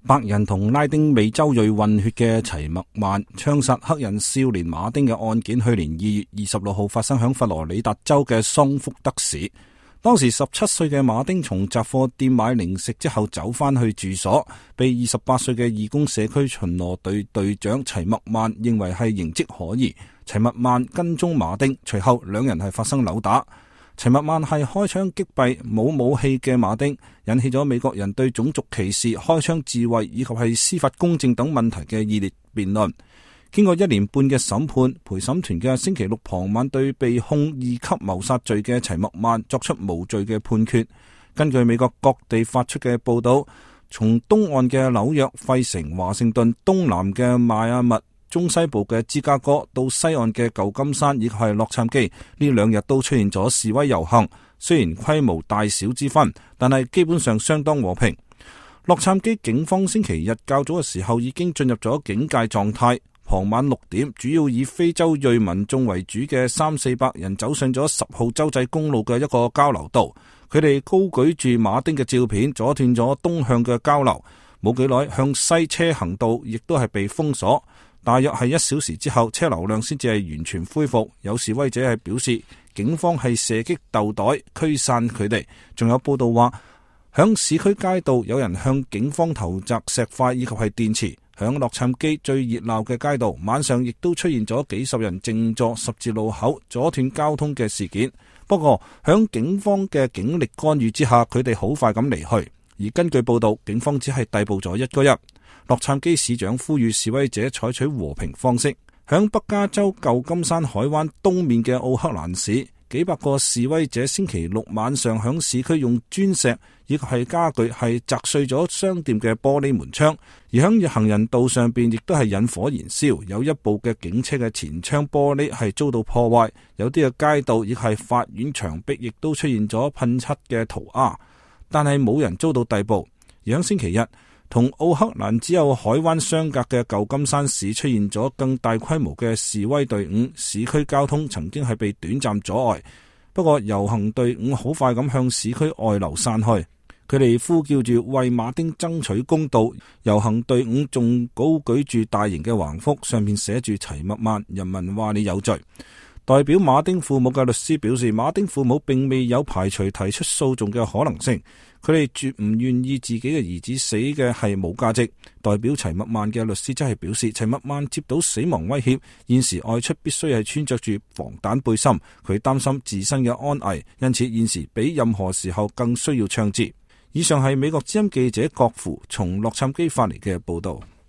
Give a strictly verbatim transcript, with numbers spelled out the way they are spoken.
白人同拉丁美洲裔混血嘅齊默曼槍殺黑人少年馬丁嘅案件，去年二月二十六號發生響佛羅里達州嘅桑福德市。當時十七歲嘅馬丁從雜貨店買零食之後走返去住所，被二十八歲嘅義工社區巡邏隊隊長齊默曼認為係形跡可疑。齊默曼跟蹤馬丁，隨後兩人係發生扭打。齊默曼係開槍擊斃冇武器嘅馬丁，引起咗美國人對種族歧視、開槍自衛以及係司法公正等問題嘅熱烈辯論。經過一年半嘅審判，陪審團嘅星期六傍晚對被控二級謀殺罪嘅齊默曼作出無罪嘅判決。根據美國各地發出嘅報道，從東岸嘅紐約、費城、華盛頓，東南嘅邁阿密，中西部嘅芝加哥到西岸嘅舊金山以及係洛杉磯，呢兩日都出現咗示威遊行。雖然規模大小之分，但係基本上相當和平。洛杉磯警方星期日較早嘅時候已經進入咗警戒狀態。傍晚六點，主要以非洲裔民眾為主嘅三四百人走上咗十號州際公路嘅一個交流道，佢哋高舉住馬丁嘅照片，阻斷咗東向嘅交流。冇幾耐，向西車行道亦都係被封鎖。大約係一小時之後，車流量先至係完全恢復。有示威者係表示，警方係射擊豆袋驅散佢哋。仲有報道話，響市區街道有人向警方投擲石塊以及係電池。響洛杉磯最熱鬧嘅街道，晚上亦都出現咗幾十人靜坐十字路口阻斷交通嘅事件。不過響警方嘅警力干預之下，佢哋好快咁離去。而根據報道，警方只係逮捕咗一個人。洛杉磯市長呼籲示威者採取和平方式。響北加州舊金山海灣東面嘅奧克蘭市，幾百個示威者星期六晚上響市區用磚石以及係家具係砸碎咗商店嘅玻璃門窗，而響行人道上邊亦都係引火燃燒，有一部嘅警車嘅前窗玻璃係遭到破壞，有啲嘅街道亦係法院牆壁亦都出現咗噴漆嘅塗鴉，但係冇人遭到逮捕。而響星期日，同奧克蘭只有海灣相隔嘅舊金山市出現咗更大規模嘅示威隊伍，市區交通曾經係被短暫阻礙。不過遊行隊伍好快咁向市區外流散去，佢哋呼叫住為馬丁爭取公道。遊行隊伍仲高舉住大型嘅橫幅，上面寫住齊默曼，人民話你有罪。代表馬丁父母嘅律師表示，馬丁父母並未有排除提出訴訟嘅可能性，佢哋絕唔願意自己嘅兒子死嘅係冇價值。代表齊默曼嘅律師則係表示，齊默曼接到死亡威脅，現時外出必須係穿着住防彈背心，佢擔心自身嘅安危，因此現時比任何時候更需要槍支。以上係美國之音記者郭芙從洛杉磯發嚟嘅報道。